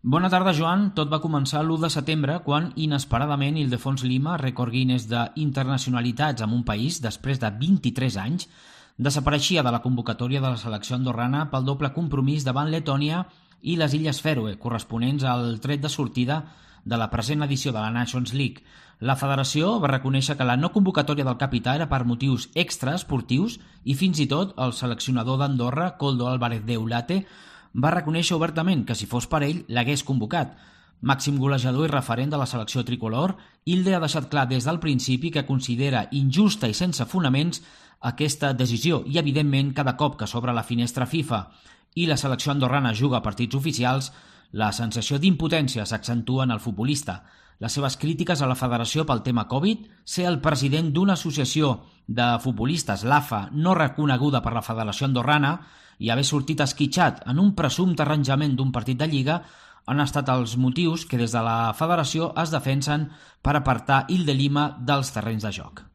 Bona tarda, Joan. Tot va començar l'1 de setembre, quan, inesperadament, Ildefons Lima, rècord Guinness d'internacionalitats en un país, després de 23 anys, desapareixia de la convocatòria de la selecció andorrana pel doble compromís davant Letònia i les Illes Fèroe, corresponents al tret de sortida de la present edició de la Nations League. La federació va reconèixer que la no convocatòria del capità era per motius extraesportius i fins i tot el seleccionador d'Andorra, Koldo Álvarez de Eulate, va reconèixer obertament que si fos per ell l'hagués convocat. Màxim golejador i referent de la selecció tricolor, Ilde ha deixat clar des del principi que considera injusta i sense fonaments aquesta decisió i, evidentment, cada cop que s'obre la finestra FIFA i la selecció andorrana juga a partits oficials, la sensació d'impotència s'accentua en el futbolista. Les seves crítiques a la federació pel tema Covid, ser el president d'una associació de futbolistes, l'AFA, no reconeguda per la federació andorrana, i haver sortit esquitxat en un presumpte arranjament d'un partit de Lliga han estat els motius que des de la federació es defensen per apartar Ilde Lima dels terrenys de joc.